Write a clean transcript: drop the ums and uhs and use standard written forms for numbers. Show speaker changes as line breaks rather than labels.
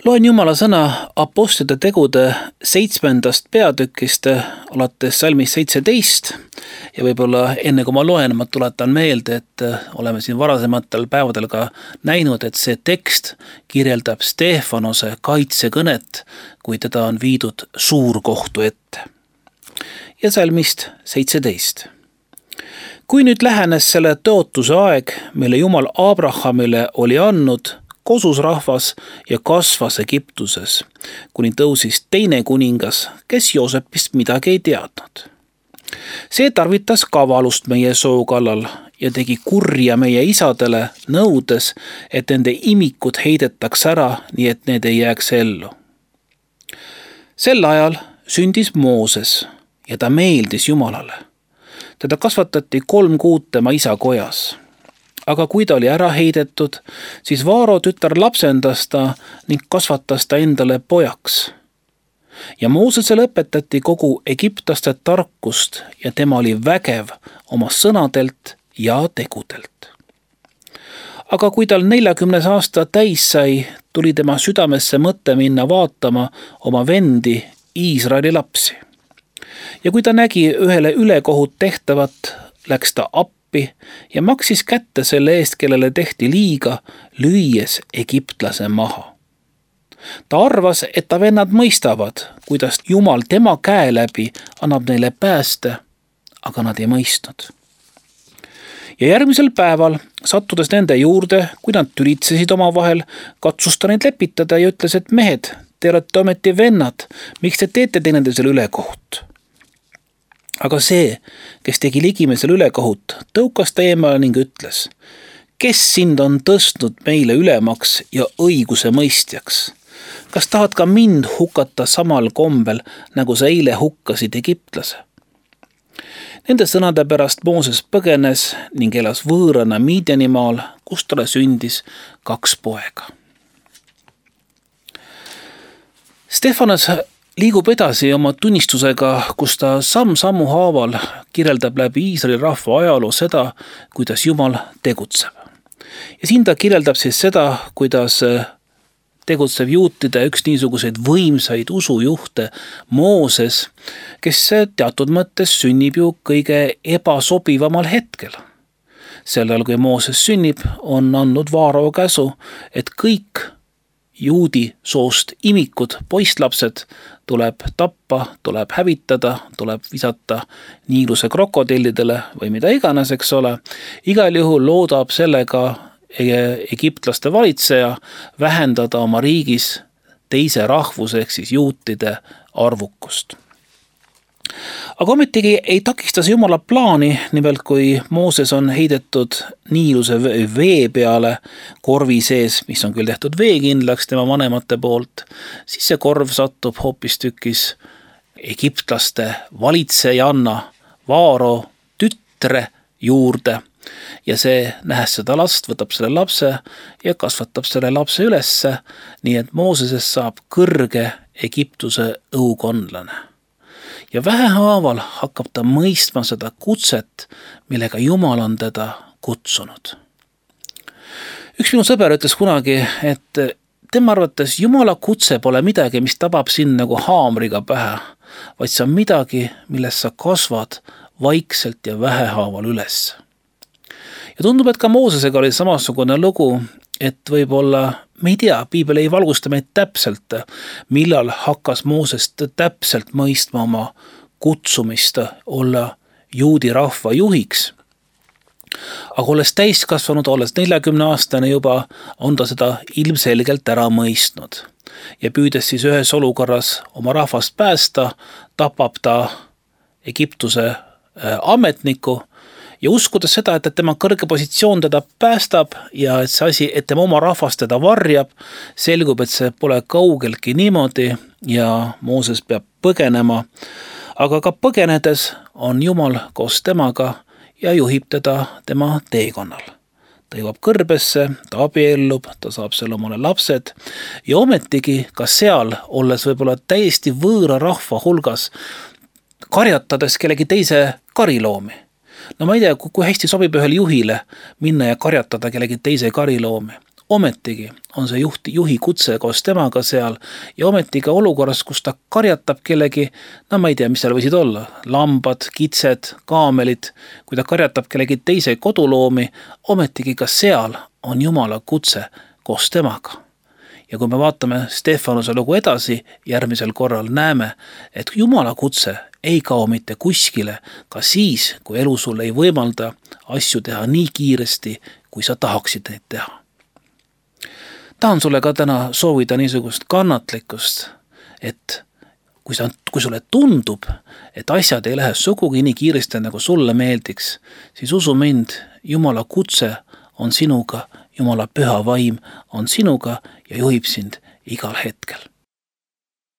Loen Jumala sõna Apostlite tegude 7. peatükist alates salmist 17 ja võib-olla enne kui ma loen, ma tuletan meelde, et oleme siin varasematel päevadel ka näinud, et see tekst kirjeldab Stefanose kaitsekõnet, kui teda on viidud suurkohtu ette. Ja salmist 17. Kui nüüd lähenes selle tõotuse aeg, mille Jumal Abrahamile oli andnud, kosus rahvas ja kasvas Egiptuses, kuni tõusis teine kuningas, kes Joosepist midagi ei teadnud. See tarvitas kavalust meie soo kallal ja tegi kurja meie isadele, nõudes, et nende imikud heidetaks ära, nii et need ei jääks ellu. Sel ajal sündis Mooses ja ta meeldis Jumalale. Teda kasvatati 3 kuud tema isa kojas. Aga kui ta oli ära heidetud, siis Vaaro tütar lapsendas ta ning kasvatas ta endale pojaks. Ja Moosesele õpetati kogu egiptlaste tarkust ja tema oli vägev oma sõnadelt ja tegudelt. Aga kui tal 40 aasta täis sai, tuli tema südamesse mõte minna vaatama oma vendi Iisraeli lapsi. Ja kui ta nägi ühele ülekohut tehtavat, läks ta appi ja maksis kätte selle eest, kellele tehti liiga, lüües egiptlase maha. Ta arvas, et ta vennad mõistavad, kuidas Jumal tema käe läbi annab neile pääste, aga nad ei mõistnud. Ja järgmisel päeval, sattudes nende juurde, kui nad tülitsesid omavahel, katsus ta neid lepitada ja ütles, et mehed, te olete ometi vennad, miks te teete teineteisele ülekohut? Aga see, kes tegi ligimesel ülekohut, tõukas ta eemale ning ütles, kes sind on tõstnud meile ülemaks ja õiguse mõistjaks? Kas tahad ka mind hukata samal kombel, nagu sa eile hukkasid egiptlase? Nende sõnade pärast Mooses põgenes ning elas võõrana Midianimaal, kus talle sündis 2 poega. Stefanos liigub edasi oma tunnistusega, kus ta samm-sammu haaval kirjeldab läbi Iisraeli rahva ajaloo seda, kuidas Jumal tegutseb. Ja siin ta kirjeldab siis seda, kuidas tegutsev juutide üks niisuguseid võimsaid usujuhte Mooses, kes teatud mõttes sünnib ju kõige ebasobivamal hetkel. Sellel, kui Mooses sünnib, on andnud Vaaro käsu, et kõik juudi soost imikud, poisslapsed tuleb tappa, tuleb hävitada, tuleb visata Niiluse krokodillidele või mida iganes, eks ole. Igal juhul loodab sellega egiptlaste valitseja vähendada oma riigis teise rahvuse ehk siis juutide arvukust. Aga ometigi ei takista see Jumala plaani, nimelt kui Mooses on heidetud Niiluse vee peale korvi sees, mis on küll tehtud veekindlaks tema vanemate poolt, siis see korv satub hoopistükkis egiptlaste valitsejanna Vaaro tütre juurde ja see, nähes seda last, võtab selle lapse ja kasvatab selle lapse ülesse, nii et Moosesest saab kõrge Egiptuse õukondlane. Ja vähehaaval hakkab ta mõistma seda kutset, millega Jumal on teda kutsunud. Üks minu sõber ütles kunagi, et tema arvates Jumala kutse pole midagi, mis tabab sind nagu haamriga pähe, vaid see on midagi, milles sa kasvad vaikselt ja vähehaaval üles. Ja tundub, et ka Moosesega oli samasugune lugu, et võib-olla, me ei tea, Piibel ei valgusta meid täpselt, millal hakkas Mooses täpselt mõistma oma kutsumist olla juudi rahva juhiks. Aga olles täiskasvanud, olles 40-aastane juba, on ta seda ilmselgelt ära mõistnud. Ja püüdes siis ühes olukorras oma rahvast päästa, tapab ta Egiptuse ametniku, ja uskudes seda, et tema kõrge positsioon teda päästab ja et see asi, et tema oma rahvast teda varjab, selgub, et see pole kaugeltki niimoodi ja Mooses peab põgenema. Aga ka põgenedes on Jumal koos temaga ja juhib teda tema teekonnal. Ta jõuab kõrbesse, ta abiellub, ta saab seal omale lapsed ja ometigi ka seal, olles võib-olla täiesti võõra rahva hulgas, karjatades kellegi teise kariloomi. No ma ei tea, kui hästi sobib ühele juhile minna ja karjatada kellegi teise kariloomi. Ometigi on see juhi kutse koos temaga seal ja ometiga olukorras, kus ta karjatab kellegi, no ma ei tea, mis seal võisid olla, lambad, kitsed, kaamelid, kui ta karjatab kellegi teise koduloomi, ometigi ka seal on Jumala kutse koos temaga. Ja kui me vaatame Stefanuse lugu edasi, järgmisel korral näeme, et Jumala kutse ei kao mitte kuskile, ka siis, kui elu sul ei võimalda asju teha nii kiiresti, kui sa tahaksid neid teha. Tahan sulle ka täna soovida niisugust kannatlikkust, et kui sulle tundub, et asjad ei lähe sugugi nii kiiresti, nagu sulle meeldiks, siis usu mind, Jumala kutse on sinuga, Jumala püha vaim on sinuga ja juhib sind igal hetkel.